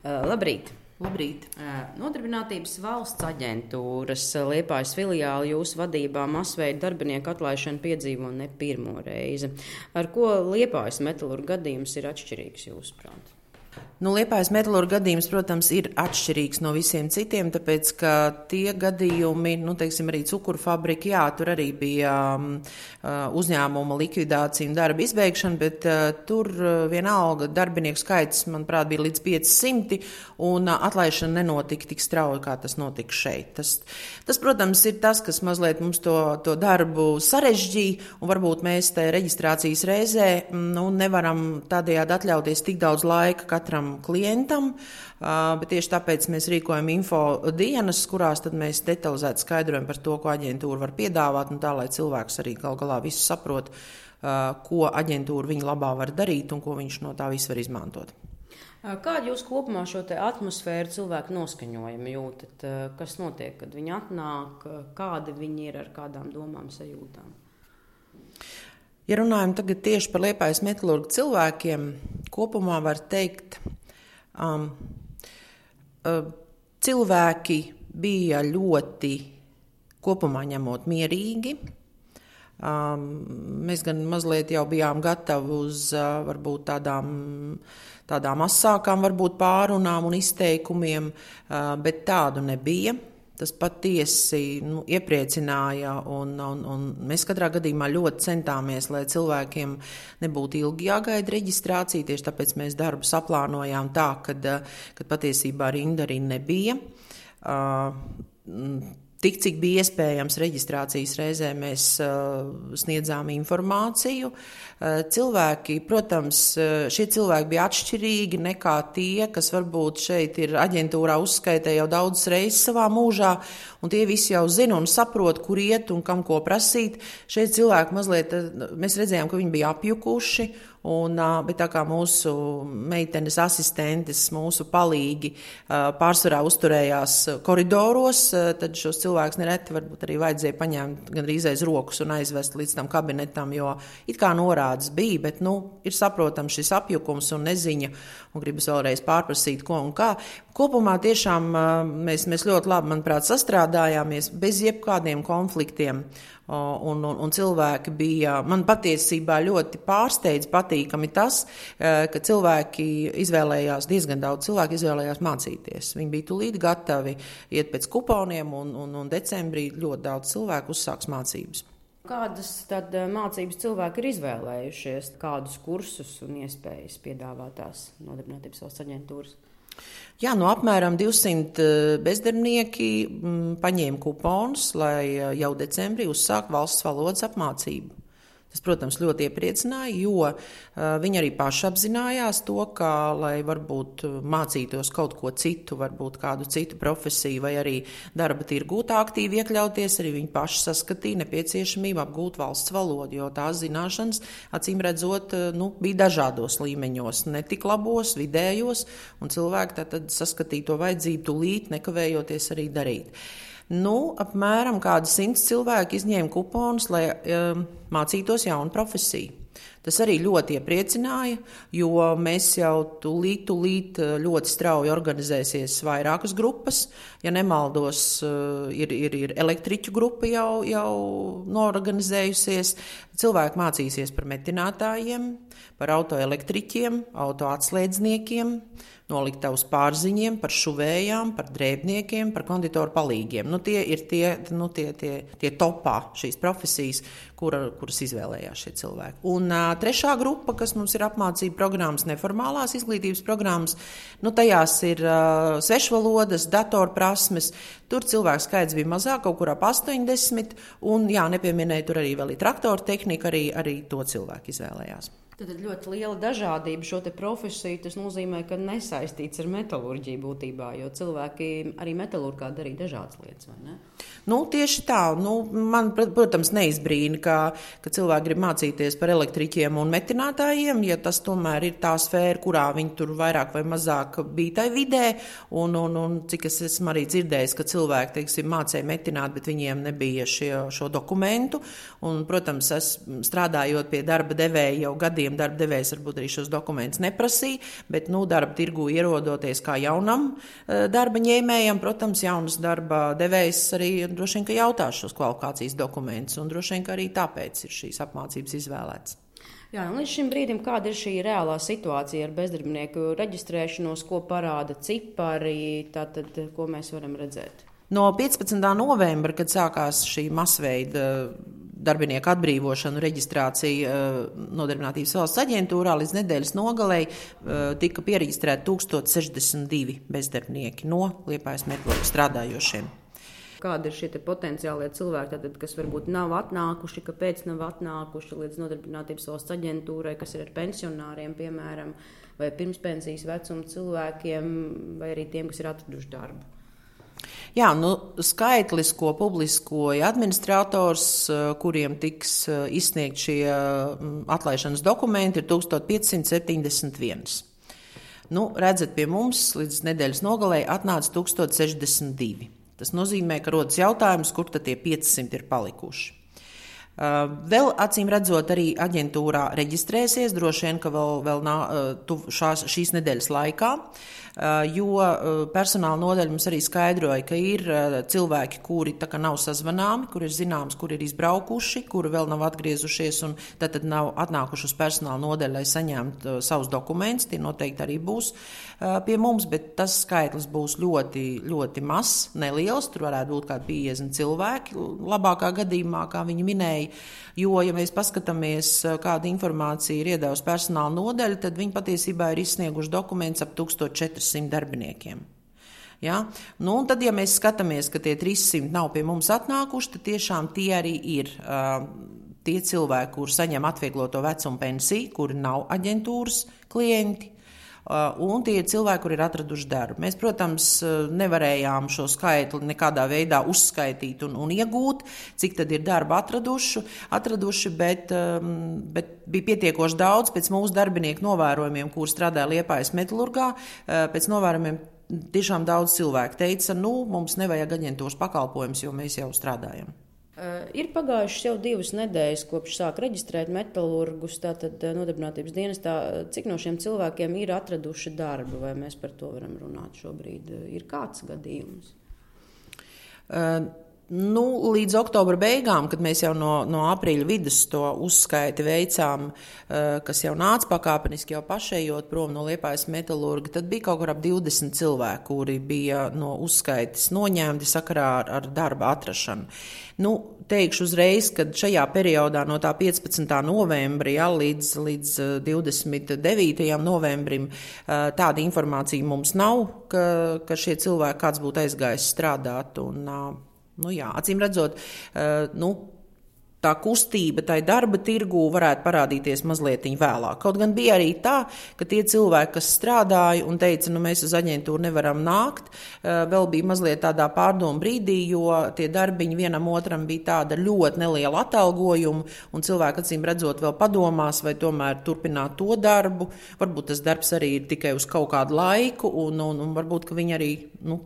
Labrīt! Labrīt! Nodarbinātības valsts aģentūras Liepājas filiāli jūsu vadībā masveida darbinieku atlaišanu piedzīvo ne pirmo reizi. Ar ko Liepājas metalurga gadījums ir atšķirīgs jūsuprāt? Liepājas metalurga gadījums, protams, ir atšķirīgs no visiem citiem, tāpēc, ka tie gadījumi, arī cukuru fabrika, jā, tur arī bija uzņēmuma likvidācija un darba izbeigšana, bet tur vienalga darbinieku skaits, manuprāt, bija līdz 500, un atlaišana nenotika tik strauji, kā tas notika šeit. Tas, protams, ir tas, kas mazliet mums to darbu sarežģīja, un varbūt mēs te reģistrācijas reizē nevaram tādējādi atļauties tik daudz laika katram klientam, bet tieši tāpēc mēs rīkojam info dienas, kurās tad mēs detalizēti skaidrojam par to, ko aģentūra var piedāvāt, un tā, lai cilvēks arī gal galā visu saprot, ko aģentūra viņa labā var darīt un ko viņš no tā visu var izmantot. Kādu jūs kopumā šo te atmosfēru cilvēku noskaņojumu jūtat? Kas notiek, kad viņi atnāk, kādi viņi ir, ar kādām domām, sajūtām? Ja runājam tagad tieši par Liepājas metalurga cilvēkiem, kopumā var teikt, cilvēki bija ļoti kopumā ņemot mierīgi. Mēs gan mazliet jau bijām gatavi uz varbūt tādām asākām varbūt pārunām un izteikumiem, bet tādu nebija. Tas patiesi iepriecināja, un mēs katrā gadījumā ļoti centāmies, lai cilvēkiem nebūtu ilgi jāgaida reģistrācija. Tieši tāpēc mēs darbu saplānojām tā, kad patiesībā rinda arī nebija. Tik, cik bija iespējams reģistrācijas reizē, mēs sniedzām informāciju. Cilvēki, protams, šie cilvēki bija atšķirīgi nekā tie, kas varbūt šeit ir aģentūrā uzskaitē jau daudzas reizes savā mūžā, un tie visi jau zina un saprot, kur iet un kam ko prasīt. Šeit cilvēki mazliet, mēs redzējām, ka viņi bija apjukuši, bet tā kā mūsu meitenes asistentes, mūsu palīgi pārsvarā uzturējās koridoros, tad šos cilvēkus nereti varbūt arī vajadzēja paņemt gandrīz aiz rokas un aizvest līdz tam kabinetam, jo it kā norādes bija, bet ir saprotams šis apjukums un neziņa, un gribas vēlreiz pārprasīt, ko un kā. Kopumā tiešām mēs ļoti labi, manuprāt, sastrādājāmies bez jebkādiem konfliktiem. Un cilvēki bija, man patiesībā ļoti pārsteidz patīkami tas, ka cilvēki izvēlējās, diezgan daudz cilvēku izvēlējās mācīties. Viņi bija tūlīt gatavi iet pēc kuponiem, un decembrī ļoti daudz cilvēku uzsāks mācības. Kādas tad mācības cilvēki ir izvēlējušies, kādus kursus un iespējas piedāvātās Nodarbinātības valsts aģentūras? Jā, apmēram 200 bezdarbnieki paņēma kuponus, lai jau decembrī uzsāk valsts valodas apmācību. Tas, protams, ļoti iepriecināja, jo viņi arī paši apzinājās to, ka, lai varbūt mācītos kaut ko citu, varbūt kādu citu profesiju vai arī darba tirgū tā aktīvi iekļauties, arī viņi paši saskatīja nepieciešamību apgūt valsts valodu, jo tās zināšanas, acīm redzot, bija dažādos līmeņos, ne tik labos, vidējos, un cilvēki tad saskatīja to vajadzību tūlīt, nekavējoties arī darīt. Apmēram kādi 100 cilvēki izņēma kuponus, lai mācītos jaunu profesiju. Tas arī ļoti iepriecināja, jo mēs jau tūlīt ļoti strauji organizēsies vairākas grupas. Ja nemaldos, ir elektriķu grupa jau norganizējusies. Cilvēki mācīsies par metinātājiem, par autoelektriķiem, autoatslēdzniekiem, noliktavas pārziņiem, par šuvējām, par drēbniekiem, par konditoru palīgiem. Tie ir tie topā šīs profesijas, kuras izvēlējās šie cilvēki. Un trešā grupa, kas mums ir apmācība programmas, neformālās izglītības programmas, tajās ir svešvalodas, datorprasmes. Tur cilvēku skaits bija mazāk, kaut kur ap 80, un nepieminēja tur arī vēl ir traktoru tehnika, arī to cilvēku izvēlējās. Tad ļoti liela dažādība šo te profesiju, tas nozīmē, ka nesaistīts ar metalurģiju būtībā, jo cilvēki arī metalurgā darīja dažādas lietas, vai ne? Tieši tā. Man, protams, neizbrīna, ka cilvēki grib mācīties par elektriķiem un metinātājiem, ja tas tomēr ir tā sfēra, kurā viņi tur vairāk vai mazāk bija tai vidē, un cik es esmu arī dzirdējis, ka cilvēki, mācīja metināt, bet viņiem nebija šo dokumentu, un, protams, strādājot pie darba devēja jau gadiem gadiem darba devējs varbūt arī šos dokumentus neprasīja, bet darba tirgu ierodoties kā jaunam darba ņēmējam, protams, jaunas darba devējs arī droši vien, ka jautās šos kvalifikācijas dokumentus, un droši vien, ka arī tāpēc ir šīs apmācības izvēlētas. Jā, un līdz šim brīdim, kāda ir šī reālā situācija ar bezdarbinieku reģistrēšanos, ko parāda cipari, tātad, ko mēs varam redzēt? No 15. novembra, kad sākās šī masveida darbinieku atbrīvošana, reģistrācija Nodarbinātības valsts aģentūrā, līdz nedēļas nogalei tika pieregistrēti 1062 bezdarbnieki no Liepājas metālurgu strādājošiem. Kādi ir šie potenciālie cilvēki, tātad, kas varbūt nav atnākuši, kāpēc nav atnākuši līdz Nodarbinātības valsts aģentūrai, kas ir ar pensionāriem, piemēram, vai pirmspensijas vecuma cilvēkiem, vai arī tiem, kas ir atraduši darbu? Jā, skaitlis, ko publiskoja administrators, kuriem tiks izsniegt šie atlaišanas dokumenti, ir 1571. Redzat, pie mums līdz nedēļas nogalei atnāca 1062. Tas nozīmē, ka rodas jautājums, kur tad tie 500 ir palikuši. Vēl acīm redzot, arī aģentūrā reģistrēsies, droši vien, ka vēl šīs nedēļas laikā, jo personāla nodaļa mums arī skaidroja, ka ir cilvēki, kuri tā kā nav sazvanāmi, kur ir zināms, kur ir izbraukuši, kuri vēl nav atgriezušies un tad nav atnākuši uz personāla nodaļu, lai saņemtu savus dokumentus. Tie noteikti arī būs pie mums, bet tas skaitlis būs ļoti, ļoti mazs, neliels. Tur varētu būt kādi 50 cilvēki, labākā gadījumā, kā viņi minēja. Jo, ja mēs paskatāmies, kāda informācija ir iedevusi personāla nodaļa, tad viņi patiesībā ir izsnieguši dokumentus ap 1400 darbiniekiem. Ja? Un tad, ja mēs skatāmies, ka tie 300 nav pie mums atnākuši, tad tiešām tie arī ir tie cilvēki, kuri saņem atviegloto vecumu pensiju, kuri nav aģentūras klienti. Un tie ir cilvēki, kuri ir atraduši darbu. Mēs, protams, nevarējām šo skaitli nekādā veidā uzskaitīt un iegūt, cik tad ir darba atraduši, bet bija pietiekoši daudz pēc mūsu darbinieku novērojumiem, kuri strādāja Liepājas metālurgā. Pēc novērojumiem tiešām daudz cilvēku teica, mums nevajag aģentūras pakalpojumus, jo mēs jau strādājam. Ir pagājušas jau 2 nedēļas, kopš sāk reģistrēt metālurgus, tātad Nodarbinātības dienestā. Cik no šiem cilvēkiem ir atraduši darbu, vai mēs par to varam runāt šobrīd? Ir kāds gadījums? Līdz oktobra beigām, kad mēs jau no aprīļa vidus to uzskaiti veicām, kas jau nāca pakāpeniski jau pašējot prom no Liepājas metālurga, tad bija kaut kur ap 20 cilvēki, kuri bija no uzskaites noņemti sakarā ar darba atrašanu. Teikšu uzreiz, ka šajā periodā no tā 15. novembra līdz 29. novembrim tāda informācija mums nav, ka šie cilvēki kāds būtu aizgājis strādāt. Acīm redzot, tā kustība tai darba tirgū varētu parādīties mazliet vēlāk. Kaut gan bija arī tā, ka tie cilvēki, kas strādāja un teica, mēs uz aģentūru nevaram nākt, vēl bija mazliet tādā pārdomu brīdī, jo tie darbiņi vienam otram bija tāda ļoti neliela atalgojuma, un cilvēki, acīm redzot, vēl padomās, vai tomēr turpināt to darbu. Varbūt tas darbs arī ir tikai uz kaut kādu laiku, un varbūt, ka viņi arī,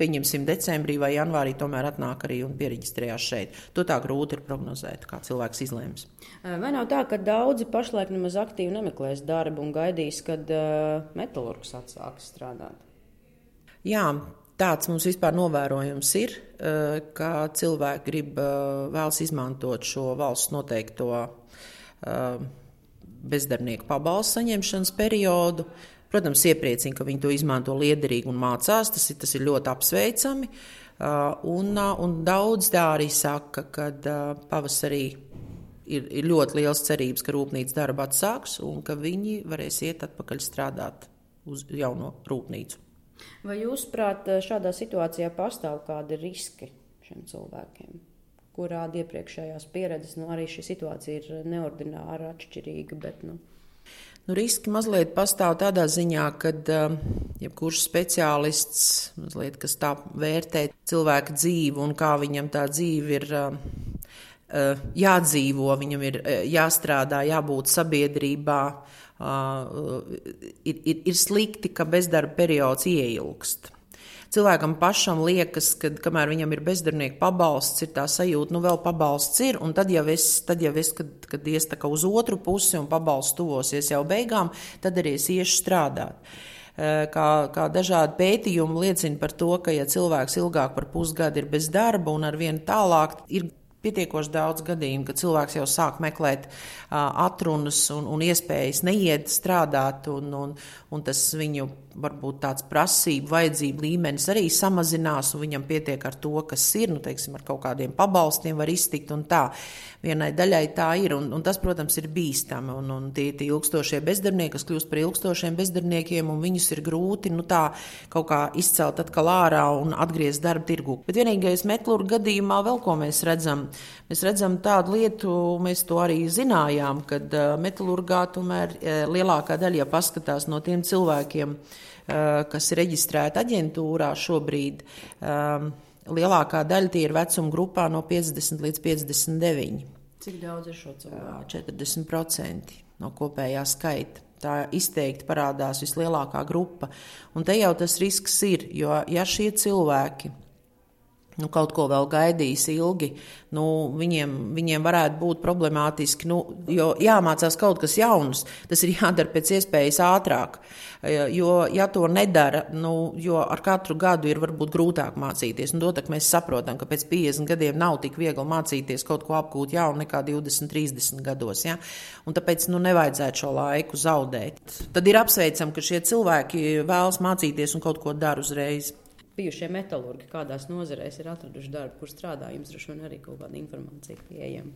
pieņemsim, decembrī vai janvārī tomēr atnāk arī un piereģistrējās šeit. To tā grūti ir prognozēt, kā cilvēks izlēms. Vai nav tā, ka daudzi pašlaik nemaz aktīvi nemeklēs darbu un gaidīs, kad metālurgs atsāks strādāt? Jā, tāds mums vispār novērojums ir, ka cilvēki vēlas izmantot šo valsts noteikto bezdarbnieku pabalstu saņemšanas periodu. Protams, iepriecina, ka viņi to izmanto liederīgi un mācās, tas ir ļoti apsveicami. Un daudz tā arī saka, ka pavasarī ir ļoti liels cerības, ka rūpnīca darba atsāks un ka viņi varēs iet atpakaļ strādāt uz jauno rūpnīcu. Vai jūs, prāt, šādā situācijā pastāv kādi riski šiem cilvēkiem? Kurādi iepriekšējās pieredzes, arī šī situācija ir neordināra, atšķirīga, bet riski mazliet pastāv tādā ziņā, ka jebkurš speciālists, mazliet, kas tā vērtē cilvēka dzīvi un kā viņam tā dzīve ir jādzīvo, viņam ir jāstrādā, jābūt sabiedrībā, ir slikti, ka bezdarba periods ieilgst. Cilvēkam pašam liekas, ka kamēr viņam ir bezdarbnieku pabalsts, ir tā sajūta, vēl pabalsts ir, un tad jau es, kad ies tā kā uz otru pusi un pabalsts tuvosies jau beigām, tad arī es iešu strādāt. Kā dažādi pētījumi liecina par to, ka ja cilvēks ilgāk par pusgadu ir bez darba un ar vienu tālāk ir pietiekoši daudz gadījumu, ka cilvēks jau sāk meklēt atrunas un iespējas neiet strādāt, un tas viņu varbūt tāds prasību, vajadzību līmenis arī samazinās, un viņam pietiek ar to, kas ir, teiksim, ar kaut kādiem pabalstiem var iztikt un tā. Vienai daļai tā ir, un tas, protams, ir bīstami, un tie ilgstošie bezdarbnieki, kas kļūst par ilgstošiem bezdarbniekiem, un viņus ir grūti, tā kaut kā izcelt atkal ārā un atgriezt darba tirgu. Bet vienīgais metalurga gadījumā vēl ko mēs redzam tādu lietu, mēs to arī zinājām, kad metalurgā tomēr lielākā daļa, ja paskatās no tiem cilvēkiem, kas ir reģistrēti aģentūrā šobrīd, lielākā daļa tie ir vecuma grupā no 50 līdz 59. Cik daudz ir šo cilvēku? 40% no kopējā skaita. Tā izteikti parādās vislielākā grupa. Un te jau tas risks ir, jo ja šie cilvēki kaut ko vēl gaidīs ilgi, viņiem varētu būt problemātiski, jo jāmācās kaut kas jauns, tas ir jādara pēc iespējas ātrāk, jo ja to nedara, jo ar katru gadu ir varbūt grūtāk mācīties, un to tak mēs saprotam, ka pēc 50 gadiem nav tik viegli mācīties kaut ko apgūt jaunu nekā 20, 30 gados, ja? Un tāpēc nevajadzētu šo laiku zaudēt. Tad ir apsveicam, ka šie cilvēki vēlas mācīties un kaut ko dara uzreiz. Bijušie metalurgi, kādās nozarēs ir atraduši darbu, kur strādā, jums droši vien arī kaut kāda informācija pieejama?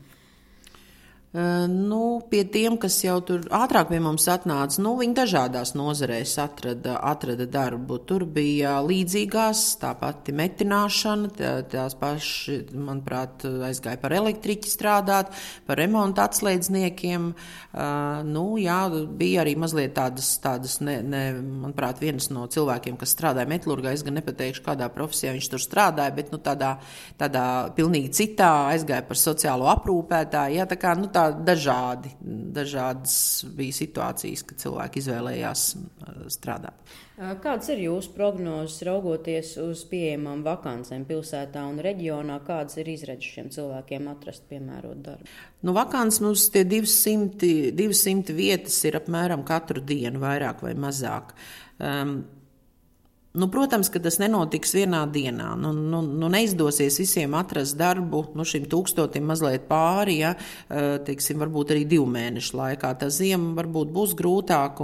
Pie tiem, kas jau tur ātrāk pie mums atnāca, viņi dažādās nozarēs atrada darbu. Tur bija līdzīgās, tā pati metināšana, tās paši, manuprāt, aizgāja par elektriķi strādāt, par remontu atslēdzniekiem. Bija arī mazliet tādas manuprāt, viens no cilvēkiem, kas strādāja metalurgā, es gan nepateikšu, kādā profesijā viņš tur strādāja, bet tādā pilnīgi citā aizgāja par sociālo aprūpētāju. Tā kā, dažādas bija situācijas, kad cilvēki izvēlējās strādāt. Kādas ir jūsu prognozes raugoties uz pieejamām vakancēm pilsētā un reģionā? Kādas ir izredzes šiem cilvēkiem atrast piemērot darbu? Vakants mums tie 200 vietas ir apmēram katru dienu, vairāk vai mazāk. Protams, ka tas nenotiks vienā dienā. Neizdosies visiem atrast darbu, šim 1000 mazliet pāri, teiksim, varbūt arī 2 mēnešu laikā. Tā ziema varbūt būs grūtāka,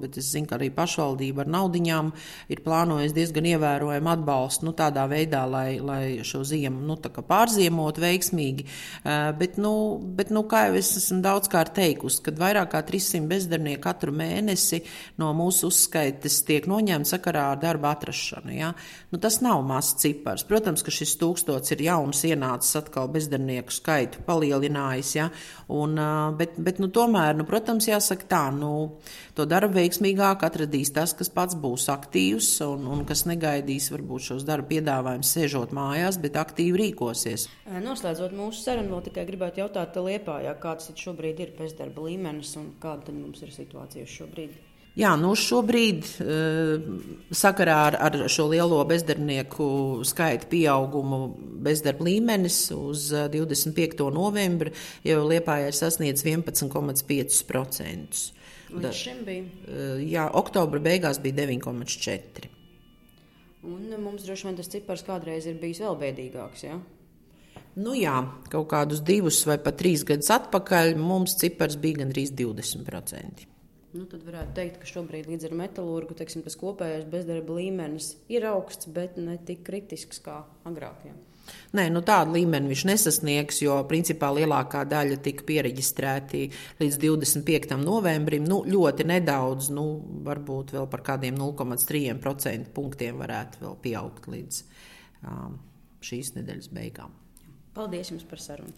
bet es zinu, ka arī pašvaldība ar naudiņām ir plānojusi diezgan ievērojumu atbalstu, tādā veidā, lai šo ziemu, pārziemot veiksmīgi. Bet, kā jau es esmu daudzkārt teikusi, kad vairāk kā 300 bezdarbnieki katru mēnesi no mūsu uzskaites tiek noņemti sakarā ar darba atrašanu. Ja? Tas nav mazs cipars. Protams, ka šis 1000 ir jauns ienācis atkal bezdarbnieku skaitu palielinājis. Ja? Bet tomēr, protams, jāsaka tā, to darbu veiksmīgāk atradīs tas, kas pats būs aktīvs un kas negaidīs varbūt šos darba piedāvājumus sēžot mājās, bet aktīvi rīkosies. Noslēdzot mūsu sarunu, vēl tikai gribētu jautāt Liepājā, kāds šobrīd ir bezdarba līmenis un kāda tad mums ir situācija šobrīd? Jā, šobrīd sakarā ar šo lielo bezdarbnieku skaitu pieaugumu bezdarba līmenis uz 25. novembri jau Liepājā ir sasniedz 11,5%. Līdz šim bija? Jā, oktobra beigās bija 9,4%. Un mums droši vien tas cipars kādreiz ir bijis vēl bēdīgāks, jā? Jā, kaut kādus 2 vai pat 3 gadus atpakaļ mums cipars bija gandrīz 20%. Tad varētu teikt, ka šobrīd līdz ar metalurgu, tas kopējais bezdarba līmenis ir augsts, bet ne tik kritisks kā agrāk. Jā. Nē, tādu līmeni viņš nesasniegs, jo principā lielākā daļa tika piereģistrēti līdz 25. novembrim. Ļoti nedaudz, varbūt vēl par kādiem 0,3% punktiem varētu vēl pieaugt līdz šīs nedēļas beigām. Paldies jums par sarunu!